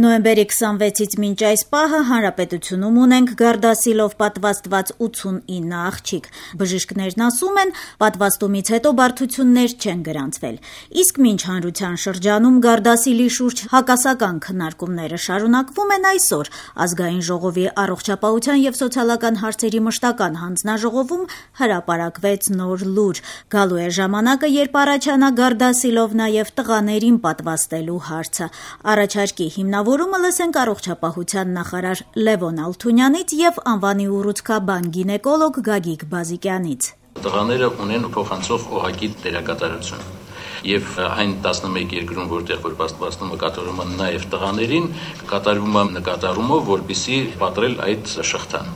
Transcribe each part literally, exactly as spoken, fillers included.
Նոյեմբերի քսանվեցից մինչ այս պահը հանրապետությունում ունենք գարդասիլով պատվաստված ութսունինը աղջիկ։ Բժիշկներն ասում են, պատվաստումից հետո բարդություններ չեն գրանցվել։ Իսկ մինչ հանրության շրջանում գարդասիլի շուրջ հակասական քննարկումները շարունակվում են, այսօր Ազգային ժողովի առողջապահության և սոցիալական հարցերի մշտական հանձնաժողովում հրապարակվեց նոր լուր։ Գալու է ժամանակը, երբ առաջանա գարդասիլով նաև տղաներին պատվաստելու հարցը։ Առաջարկի հիմնավորումը լսենք առողջապահության նախարար Լևոն Ալթունյանից և անվանի ուռուցքաբան գինեկոլոգ Գագիկ Բազիկյանից։ Տղաները ունեն փոխանցող օղակի դերակատարություն եւ այն տասնմեկ երկրում, որտեղ որ պատվաստումը կատարվում է նաեւ տղաներին, կատարվում է նկատառումով, որպեսզի պատրել այդ շղթան։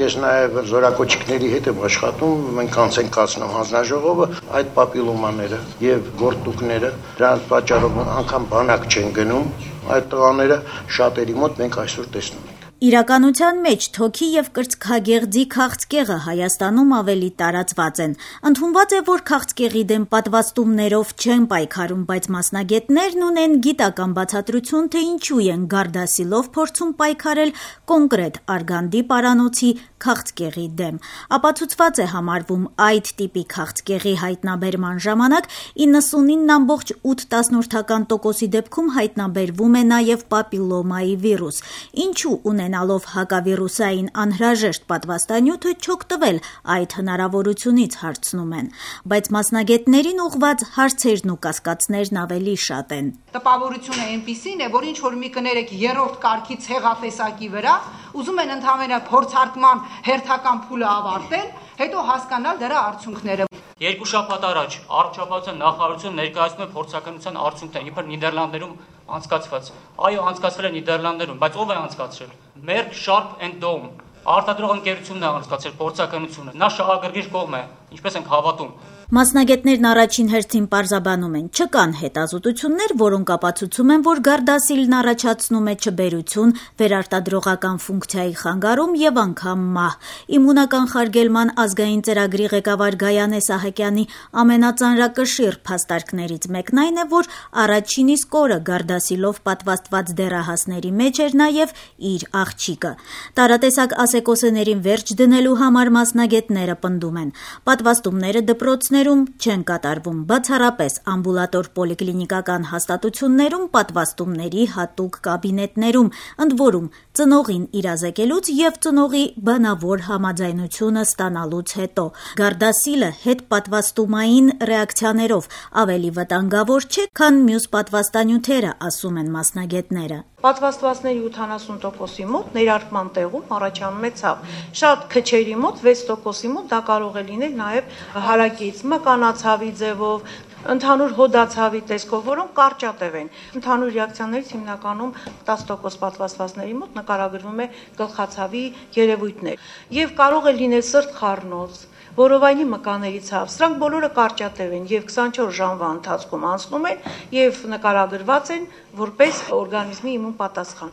Ես նաև զորակոչիկների հետ եմ աշխատում, մենք անց ենք կացնում հանձնաժողովը այդ պապիլոմաները եւ գործուկները, դրանց պատճառով անգամ բանակ չեն գնում, այդ տղաները շատերի մոտ մենք այսօր տեսնում ենք։ Իրականության մեջ թոքի և կրծքագեղձի քաղցկեղը Հայաստանում ավելի տարածված են։ Ընդունված է, որ քաղցկեղի դեմ պատվաստումներով չեն պայքարում, բայց մասնագետներն ունեն գիտական բացատրություն, թե ինչու են գարդասիլով փորձում պայքարել կոնկրետ արգանդի պարանոցի քաղցկեղի դեմ։ Ապացուցված է համարվում այդ տիպի քաղցկեղի հայտնաբերման ժամանակ իննսունինը ամբողջ ութ տասնորդական տոկոսի դեպքում հայտնաբերվում է նաև պապիլոմայի վիրուս։ Ինչու ունենալով հակավիրուսային անհրաժեշտ պատվաստանյութը չօգտվել այդ հնարավորությունից, հարցնում են, բայց մասնագետներին ուղղված հարցերն ու կասկածներն ավելի շատ են։ Տպավորությունը այնպիսին է, որ ինչ որ մի կներեք երրորդ կարգի ցեղատեսակի վրա, ուզում են ընդհանրապես փորձարկման հերթական փուլը ավարտել, հետո հասկանալ դրա արդյունքները։ Երկու շաբաթ առաջ առողջապահության նախարարությունը ներկայացնում է փորձականության արդյունքները, իբր Նիդերլանդներում անցկացված։ Այո, անցկացվել է Նիդերլանդներում, բայց ով է անցկացրել։ Merck Sharp and Dohme արտադրող ընկերությունն է անցկացրել փորձականությունը։ Նա շահագրգիռ կողմ է, ինչպես ենք հավատում։ Մասնագետներն առաջին հերթին պարզաբանում են, չկան հետազոտություններ, որոնք ապացուցում են, որ գարդասիլն առաջացնում է չբերություն, վերարտադրողական ֆունկցիայի խանգարում եւ անգամ մահ։ Իմունական խարգելման ազգային ծրագրի ղեկավար Գայանե Սահակյանի ամենածանրակշիռ փաստարկներից մեկն այն է, որ առաջին իսկ օրը գարդասիլով պատվաստված դեռահասների մեջ էր նաեւ իր աղջիկը։ Տարատեսակ ասեկոսեներին վերջ դնելու համար մասնագետները պնդում են, պատվաստումները դպրոցներ չեն կատարվում, բացառապես ամբուլատոր պոլիկլինիկական հաստատություններում, պատվաստումների հատուկ կաբինետներում, ընդ որում ծնողին իրազեկելուց եւ ծնողի բանավոր համաձայնությունը ստանալուց հետո։ Գարդասիլը հետպատվաստումային ռեակցիաներով ավելի վտանգավոր չէ, քան մյուս պատվաստանյութերը, ասում են մասնագետները։ Պատվաստվածների ութանասուն տոկոսի մոտ ներարկման տեղում առաջանում է ցավ։ Շատ քչերի մոտ վեց տոկոսի մոտ դա կարող է լինել նաև հարակից մկանացավի ձևով, ընդհանուր հոդացավի տեսքով, որոնք կարճատև են։ Ընդհանուր ռեակցիաներից հիմնականում տասը տոկոս պատվաստվածների մոտ նկարագրվում է գլխացավի երևույթներ։ Եվ կարող է լինել սրտխառնոց, որովայնի մկաների ցավ, սրանք բոլորը կարճատև են եւ քսանչորս ժամվա ընթացքում անցնում են եւ նկարագրված են որպես օրգանիզմի իմուն պատասխան։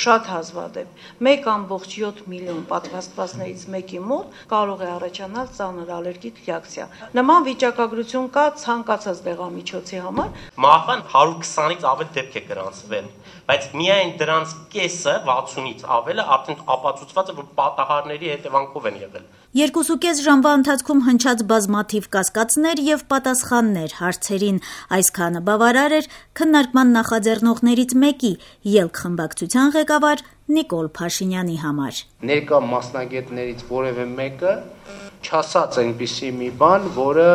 Շատ հազվադեպ մեկ ամբողջ յոթ միլիոն պատվաստվածներից մեկի մոտ կարող է առաջանալ ծանր ալերգիկ ռեակցիա։ Նման վիճակագրություն կա ցանկացած դեղամիջոցի համար։ Մահվան հարյուր քսանից ավել դեպք է գրանցվել, բայց միայն դրանց կեսը վաթսունից ավելը արդեն ապացուցված է, որ պատահարների հետևանքով են եղել։ Երկուսուկես ժամվա ընթացքում հնչած բազմաթիվ կասկածներ եւ պատասխաններ հարցերին, այսքանը բավարար էր քննարկման նախաձեռնողներից մեկի ելք խմբակցության ղեկավար Նիկոլ Փաշինյանի համար։ Ներկա մասնագետներից որևէ մեկը չասաց այնպիսի մի բան, որը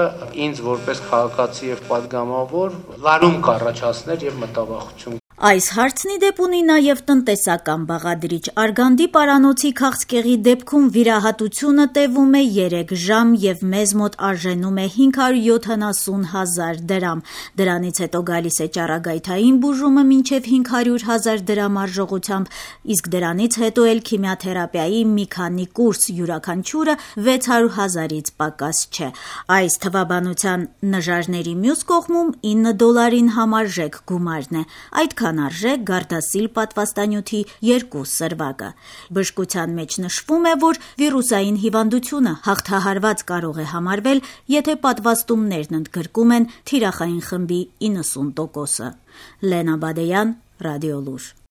ինձ որպես քաղաքացի եւ падգամավոր լարում կառաջացներ եւ մտավախություն։ Այս հարցն ի դեպ ունի նաև տնտեսական բաղադրիչ։ Արգանդի պարանոցի քաղցկեղի դեպքում վիրահատությունը տևում է երեք ժամ եւ մեզ մոտ արժենում է հինգ հարյուր յոթանասուն հազար դրամ։ Դրանից հետո գալիս է ճառագայթային բուժումը մինչեւ հինգ հարյուր հազար դրամ արժողությամբ, իսկ դրանից հետո էլ քիմիաթերապիայի մի քանի կուրս, յուրաքանչյուրը վեց հարյուր հազարից պակաս չէ։ Այս թվաբանության նժարների մյուս կողմում ինը դոլարին համարժեք գումարն է։ Այդքան արժե գարդասիլ պատվաստանյութի երկու սրվակը։ Բժշկության մեջ նշվում է, որ վիրուսային հիվանդությունը հաղթահարված կարող է համարվել, եթե պատվաստումներն ընդգրկում են թիրախային խմբի իննսուն տոկոսը։ Լենա Բադեյան, Ռադիոլուր։